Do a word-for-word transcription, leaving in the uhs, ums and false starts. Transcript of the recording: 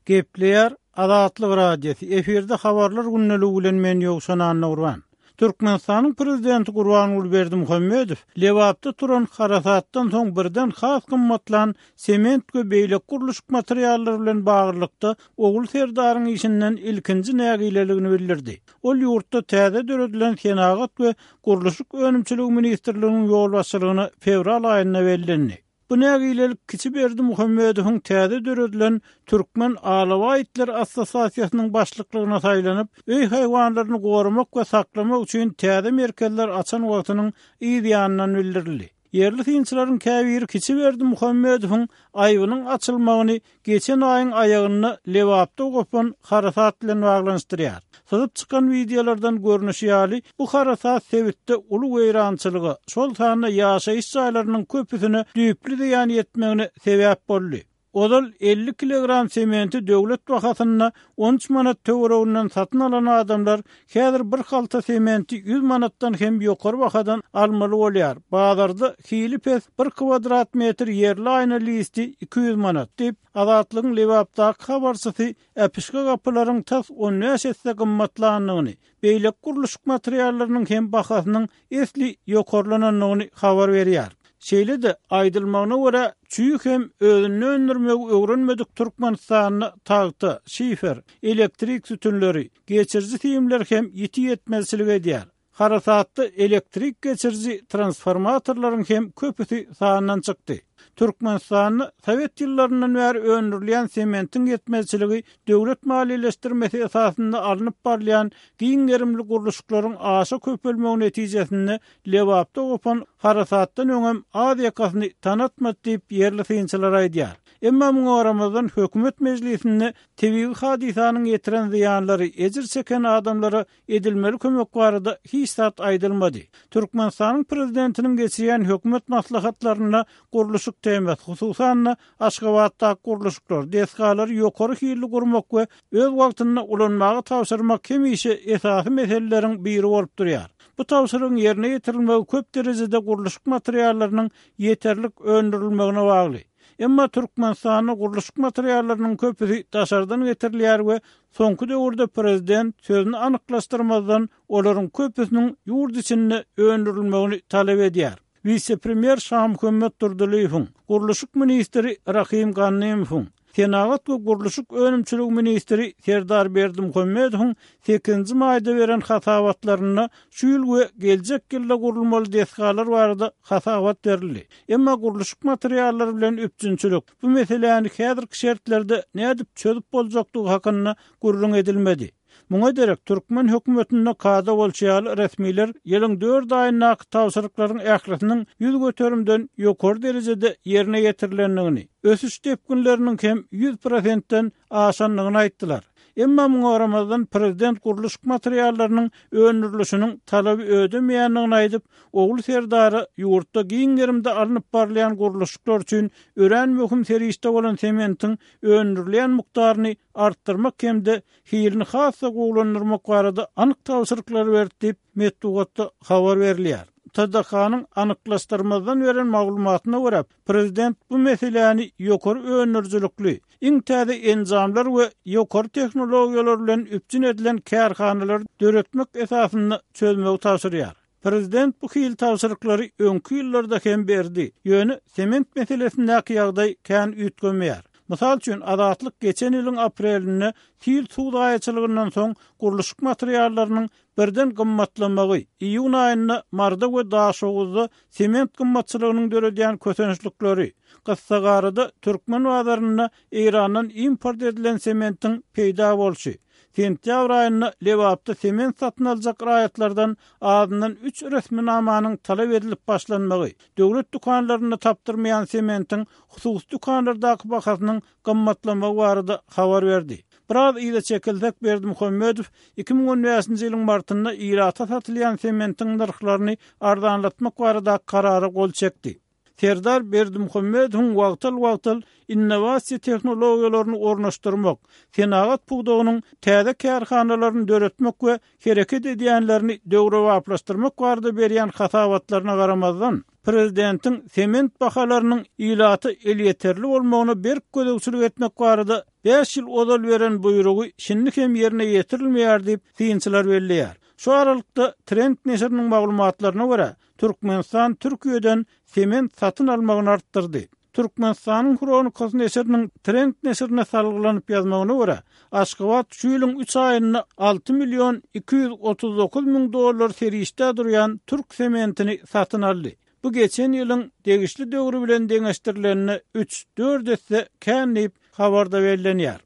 Gepleýär Azatlyk Radiosy, efirde habarlar gündeligi bilen men Ýowşan Annagurban. Türkmenistanyň prezidenti Gurbanguly Berdimuhamedow Lebapda turan harasatdan soň birden has gymmatlan sement we beýleki gurluşyk materiallary bilen baglylykda Ogul Serdaryň işinden ilkinji nägileligini bildirdi. Ol ýurtda täze döredilen Senagat we gurluşyk önümçiligi ministrliginiň ýolbaşçylygyna fewral aýynda bellendi. Bu nägilelik kiçi Berdimuhamedowyň täze döredilen Türkmen alabaý itler assosiasiýasynyň başlyklygyna saýlanyp, öý haýwanlaryny goramak we saklamak üçin täze merkezler açan wagtynyň yz ýanyndan bildirildi. Ýerli synçylaryň käbiri kiçi Berdimuhamedowyň aýbynyň açylmagyny geçen aýyň aýagynda Lebapda gopan harasat bilen baglanyşdyrýar. Syzyp çykan wideolardan görnüşi ýaly, bu harasat sebitde uly weýrançylyga, şol sanda ýaşaýyş jaýlarynyň köpüsine düýpli zyýan ýetmegine sebäp boldy. Ozal elli kilogram sementi döwlet bahasynda on üç manat töwereginden satyn alan adamlar häzir bir halta sementi ýüz manatdan hem ýokary bahadan almaly bolýar. Bazarda hili pes bir kvadrat metr ýerli aýna listi iki ýüz manat diýip, Azatlygyň Lebapdaky habarçysy äpişge gapylaryň tas on bäş esse gymmatlandygyny, beýleki gurluşyk materiallarynyň hem bahasynyň esli ýokarlanandygyny habar berýär. Şeýle-de aýdylmagyna görä, çüý hem özünde öndürmegi öwrenmedik Türkmenistanda tagta, şifer, elektrik sütünleri, geçiriji simler hem ýiti ýetmezçilik edýär. Harasatda elektrik geçiriji transformatorlaryň hem köpüsi sandan çykdy. Türkmenistanda Sowet ýyllaryndan bäri öndürilýän sementiň ýetmezçiligi döwlet maliýeleşdirmesi esasynda alnyp barylýan giň gerimli gurluşyklaryň aşa köpelmegi netijesinde Lebapda gopan harasatdan öňem az ýakasyny tanatmady diýip ýerli synçylar aýdýar. Emma muňa garamazdan hökümet mejlisinde tebigy hadysanyň ýetiren zyýanlary, ejir çeken adamlara edilmeli kömek barada hiç zat aýdylmady. Türkmenistanyň prezidentiniň geçirýän hökümet maslahatlarynda gurluşyk temasy, hususan-da Aşgabatdaky gurluşyklar, desgalary ýokary hilli gurmak we öz wagtynda ulanmaga tabşyrmak hemişe esasy meseleleriň biri bolup durýar. Bu tabşyrygyň ýerine ýetirilmegi köp derejede gurluşyk materiallarynyň ýeterlik öndürilmegine bagly. Emma Türkmenistanda gurluşyk materiallarynyň köpüsi daşardan getirilýär we soňky döwürde prezident sözüni anyklaşdyrmazdan olaryň köpüsiniň ýurt içinde öndürilmegini talap edýär. Wise-premýer Şamuhammet Durdylyýewiň, gurluşyk ministri Rahim Gannymowyň, Senagat we gurluşyk önümçiligi ministri Serdar Berdimuhamedowyň sekizinji maýda beren hasabatlarynda şu ýyl we geljek ýylda gurulmaly desgalar barada hasabat berildi. Emma gurluşyk materiallary bilen üpjünçilik bu meseläni häzirki şertlerde nädip çözüp boljakdygy hakynda gürrüň edilmedi. Muňa derek türkmen hökümetinde kada bolşy ýaly resmiler ýylyň dört aýyndaky tabşyryklaryň ählisiniň ýüz göterimden ýokary derejede ýerine ýetirilendigini, ösüş depginleriniň hem ýüz prosentden aşandygyny aýtdylar. Emma muňa garamazdan prezident gurluşyk materiallarynyň öndürilişiniň talaby ödemeýändigini aýdyp, Ogul Serdara ýurtda giň gerimde alnyp barylýan gurluşyklar üçin örän möhüm serişde bolan sementiň öndürilýän mukdaryny artdyrmak hem-de hilini has-da gowulandyrmak barada anyk tabşyryklary berdi diýip, metbugatda habar berilýär. T D K-nyň anyklaşdyrmazdan beren maglumatyna görä, prezident bu meseläni ýokary öndürijilikli, iň täze enjamlar we ýokary tehnologiýalar bilen üpjün edilen kärhanalary döretmek esasynda çözmegi tabşyrýar. Prezident bu hil tabşyryklary öňki ýyllarda hem berdi. Ýöne sement meselesindäki ýagdaý kän üýtgemeýär. Mysal üçin, Azatlyk geçen ýylyň aprelinde sil suw zaýaçylygyndan soň gurluşyk materiallarynyň birden gymmatlamagy, iýun aýynda Marda we Daşoguzda sement gymmatçylygynyň döredýän kösençlikleri, Gyssagarada türkmen bazarynda Eýrandan import edilen sementiň peýda bolşy, sentýabr aýynda Lebapda sement satyn aljak raýatlardan azyndan üç resminamanyň talap edilip başlanmagy, döwlet dükanlarynda tapdyrmaýan sementiň hususy dükanlardaky bahasynyň gymmatlamagy barada habar berdi. Biraz yza çekilsek, Berdimuhamedow iki müň on bäşinji ýylyň martynda ilata satylýan sementiň nyrhlaryny arzanlatmak barada karara gol çekdi. Serdar Berdimuhamedowyň wagtal-wagtal innowasiýa tehnologiýalaryny ornaşdyrmak, senagat pudagynyň täze kärhanalaryny döretmek we hereket edýänlerini döwrebaplaşdyrmak barada berýän hasabatlaryna garamazdan, Prezidentiň sement bahalarynyň ilata elýeterli bolmagyna berk gözegçilik etmek barada bäş ýyl ozal beren buýrugy şindi hem ýerine ýetirilmeýär diýip, synçylar belleýär. Şu aralykda, Trend neşiriniň maglumatlaryna görä, Türkmenistan Türkiýeden sement satyn almagyny artdyrdy. Türkmenistanyň Hronikasy neşiriniň Trend neşirine salgylanyp ýazmagyna görä, Aşgabat şu ýylyň üç aýynda alty million iki ýüz otuz dokuz müň dollar serişdä durýan türk sementini satyn aldy. Bu geçen ýylyň degişli döwri bilen deňeşdirilende üç-dört esse kän diýip, habarda bellenýär.